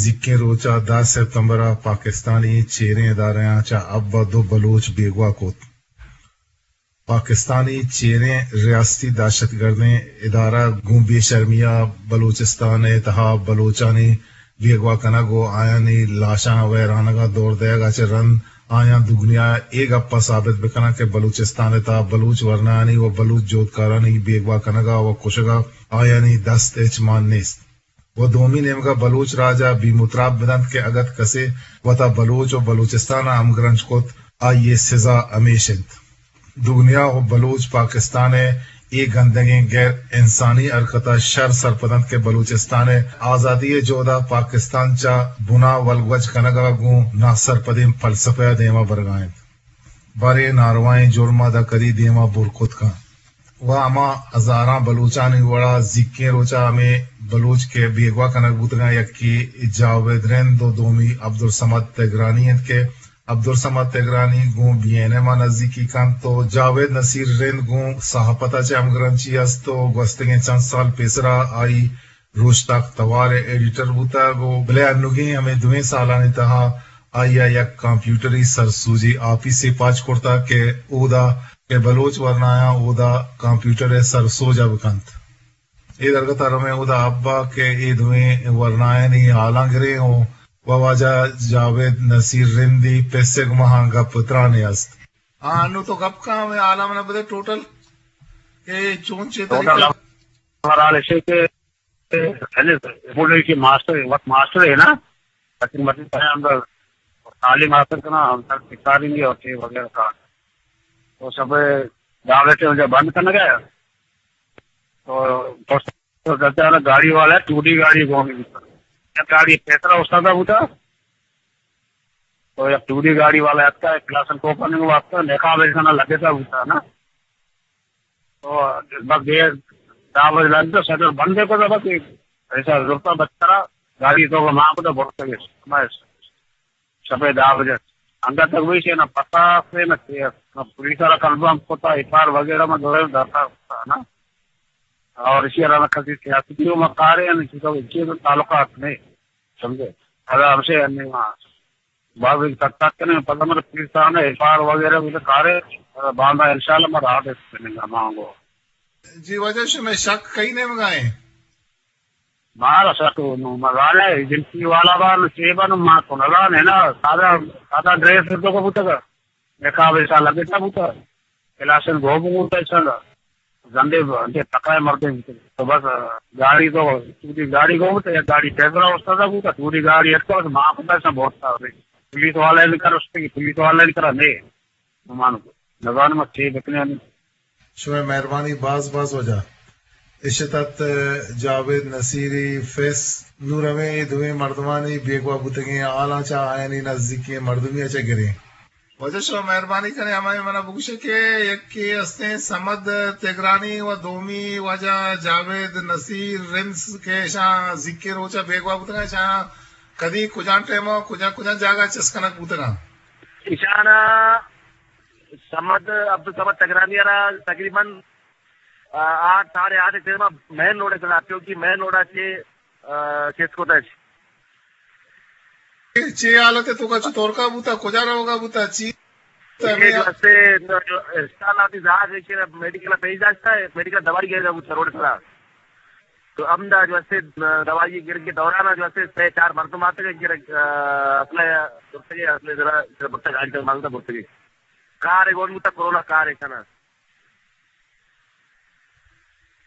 نزیکیں روچ ءَ دہ ستمبر ءَ پاکستانی چیریں ادارہاں چہ ابا دو بلوچ بیگواہ کت۔ پاکستانی چیریں ریاستی دہشت گردیں ادارہ گوں بے شرمی ءَ بلوچستان ءِ تہا بلوچانی بیگواہ کنگ ءُ آیانی لاشاں ویرانگ ءَ دور دئیگ ءَ چہ رند آیاں دگنیا ءَ اے گپ ءَ ثابت بکناں کہ بلوچستان ءِ تہا بلوچ ورنایانی ءُ بلوچ جہدکارانی بیگواہ کنگ ءَ ءُ کشگ ءَ آیانی دست ہچ مان نیست۔ ءُ دومی نیمگ ءَ بلوچ راج ءَ بیم ءُ تراب بدنت کہ اگت کسے وتا بلوچ ءُ بلوچستان ءَ ہمگرنچ کت، آئی ءِ سزا ہمیش انت۔ دگنیا ءُ بلوچ پاکستان ءِ اے گندگیں غیر انسانی حرکت ءَ شر سرپد انت کہ بلوچستان ءِ آزادی ءِ جہد ءَ پاکستان چہ بنا ولگوج کنگ ءَ گوں ناسرپدیں فلسفہ ءَ دیما برگ ءَ انت۔ باریں ناروائیں جرم ءَ داں کدی دیما بر کت کنت۔ ءُ ہما ہزاراں بلوچانی وڑا زیکیں روچ ءَ ہمے بلوچ کہ بیگواہ کنگ بوتگاں، یکے جاوید رند ءُ دومی عبدالصمد تگرانی انت کہ عبدالصممد تگرانی گوں بی این ایم ءَ نزیکی کنت ءُ جاوید نصیر رند گوں صحافت ءَ چہ ہمگرنچی است ءُ گوستگیں چند سال پیسرا آئی روچتاک توار ءِ ایڈیٹر بوتگ ءُ بلے انوگیں ہمے دوئیں سالانی تہا آئی ءَ یک کمپیوٹری سرسوجی آپیسے پاچ کرتگ کہ اودا کہ بلوچ ورنایاں اودا کمپیوٹر ءِ سرسوج ءَ بکنت۔ اے درگت ءَ رویں اودا ابا کہ اے دوئیں ورنایانی حالاں گریں ءُ و واجہ جاوید نصیر رندی پسے گماں گپ ترانے است۔ ہاں، انو تو گپ کن، ہمے حالاں منا بدے ٹوٹل کہ چون چے ٹوٹل طریقہ۔ ہمارا حال ایسے کہ پہلے بولے کہ ماسٹر، وقت ماسٹر ہے نا، لیکن مطلب ہے ہم تعلیم حاصل کرنا، ہم سر سکھا دیں گے اور چیز وغیرہ کا۔ تو سب دعوتیں جب بند کرنا گیا، تو تو چلتا ہے نا، گاڑی والا ہے، ٹو ڈی گاڑی گون، گاڑی پیسرا استاد ہوتا، تو یک ٹو ڈی گاڑی والا آتا ہے، کلاس کوپن واسطہ نقاب ایسا نہ لگے تھا ہوتا نا۔ تو بس یہ دعوت لگ تو شٹر بند ہے، کو بس ایسا ضرورت بچ کرا، گاڑی تو وہاں کو تو بہت لگے۔ شپے دہ بجہ انگت تک ویشے نہ پتا سے نہ کیس، نہ پولیس والا کنفرم کتا، ایف آئی آر وغیرہ میں دورے درتا کتا نا۔ اور اسی علاوہ کسی سیاسی بھی میں کارے ہیں، اسی کا اسی کا تعلقات نہیں، سمجھے؟ اگر ہم سے نہیں وہاں بعض ایک تک تک کرنے پتا مطلب پولیس والا ایف آئی آر وغیرہ بھی کارے، اور باندھا انشاءاللہ میں رہا دے سکتے نہیں مانگو۔ جی، واجہ شمے شک کئی نیمگا ایں؟ مارا سک نو مزانے ایجنسی والا با نو چے با نو ما کنگا نے نا، سادہ، سادہ ڈریس تو کو بوتگا۔ نقاب ایسا لگتا بوتا۔ کلاسن گو بوتا ایسا۔ زندے با، انتے تکائے مردے بوتا۔ تو بس گاڑی تو، پوری گاڑی گو بوتا، یا گاڑی ٹیبرا استادا بوتا، پوری گاڑی ایسا ما بوتا ایسا بہت سارے۔ پولیس والے نے کر اس پہ، پولیس والے نے کرا نے۔ نمان کو نزانم چے بکنے۔ شمئے مہربانی باز باز واجہ۔ اشت ات جاوید نصیری فیس۔ نوں رویں اے دوئیں مردمانی بیگواہ بوتگیں حالاں چہ آیانی نزیکیں مردمی ء چہ گریں۔ واجہ شما مہربانی کنیں، ہمائی منا بگوشے کہ یکے ہستیں صمد تگرانی و دومی واجہ جاوید نصیر رند کہ اشاں زیکیں روچ ء بیگواہ بوتگاں، اشاں کدی کجام ٹائم ء کجام کجام جاگہ چست کنگ بوتگاں؟ اشانا صمد، عبدالصمد تگرانی ء را تقریباً، آ، آٹھ، ساڑھے آٹھ ء ٹائم ء مین روڈ ء چلا، کیونکہ مین روڈ ء چہ، آ، چست کتش۔ چے حالت ء توکا چتورکا بوتا، کجا روگا بوتا، چی؟ اے جو ہستے، جو اسپتال آتی زہاز ہے کہ میڈیکل پیش داشتا ہے، میڈیکل دوائی گرگا بوتا روڈ سرا۔ تو ہمدا جو ہستے دوائی گرگ کے دوران جو ہستے سے چار مردم آتے گرگ، آ، اصلے، اصلے ذرا، ذرا بٹا گاڑی تک مانگتا بٹا گئی۔ کار ہے، گون بوتا کرونا کار ہے کنا۔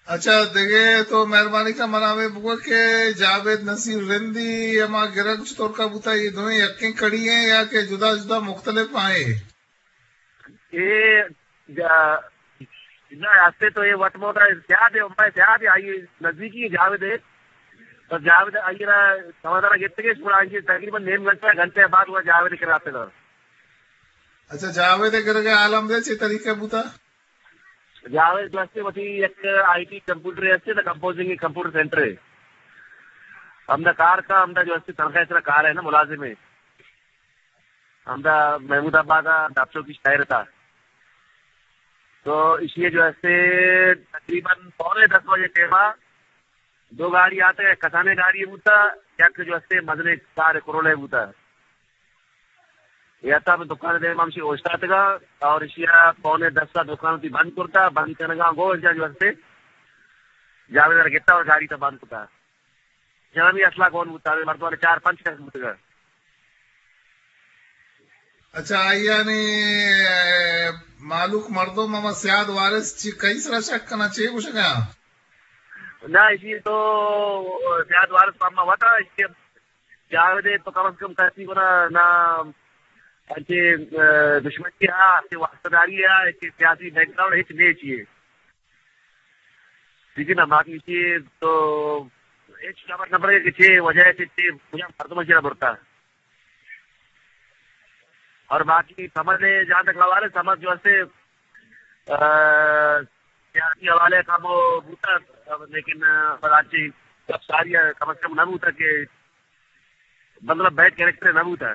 اچھا، دگہ تو مہربانی کا منا ہمے بگو کہ جاوید نصیر رندی ہما گرگ چطور کا بوتا، یہ دوئیں یکیں کڑی ہیں یا کہ جدا جدا مختلف آئیں؟ اے جا-، نہ، ہستے تو یہ وٹ مودا زیادہ ہے، میں زیادہ آئی نزدیکی ہے جاوید ہے۔ تو جاوید آئی را سمادارا گپتگش، پورا آئی تقریباً نیم گھنٹہ، گھنٹے بعد وہ جاوید کراتے نا۔ اچھا، جاوید گرگ عالم دے چے طریقے بوتا؟ جاوید دوستے وتی یک آئی ٹی کمپیوٹر ہستے نا، کمپوزنگ کمپیوٹر سینٹر ہے۔ ہمدا کار کا، ہمدا جو ہستے تنخواہ سرا کار ہے نا، ملازم ہے۔ ہمدا محمود آباد ء ڈاکٹر کی شاعر تھا۔ تو اسی جو ہستے تقریباً پونے دس بجے ٹائم ء دو گاڑی آتے، کسانے گاڑی بوتا، یک جو ہستے مزنیں کار کرولے بوتا۔ یا تا میں دکان دے ہمشی اوشتاتگا اور اشیا پونے دس تا دکان تی بند کرتا، بند کنگا گو اشیا جو ہستے جاوید ار گتا اور گاڑی تا بند کرتا۔ جنانی اصلا کون بوتا، مردمان چار پنچ کس بوتگا۔ اچھا، آئی یعنی، اے، مالوک مردم ہما سیاد وارث چی کئی سرا شک کنا، چے گوشگا؟ نہ، اسی تو سیاد وارث پاما وتا، اسی جاوید تو کم از کم کسی کو نہ، نہ انچے، اے، دشمنی ہے، انچے واسطہ داری ہے، انچے سیاسی بیک گراؤنڈ ہچ نہیں چاہیے۔ ٹھیک ہے نا، باقی چیز تو ہچ خبر نہ پڑے کہ چے وجہ ہے، چے، چے کجا مردم چے برتا۔ اور باقی سمجھ لے، جہاں تک حوالے سمجھ جو ہستے، آ، سیاسی حوالے کم بوتا، لیکن، آ، پر آج سب ساری کم از کم نہ بوتا کہ مطلب بیڈ کریکٹر نہ بوتا۔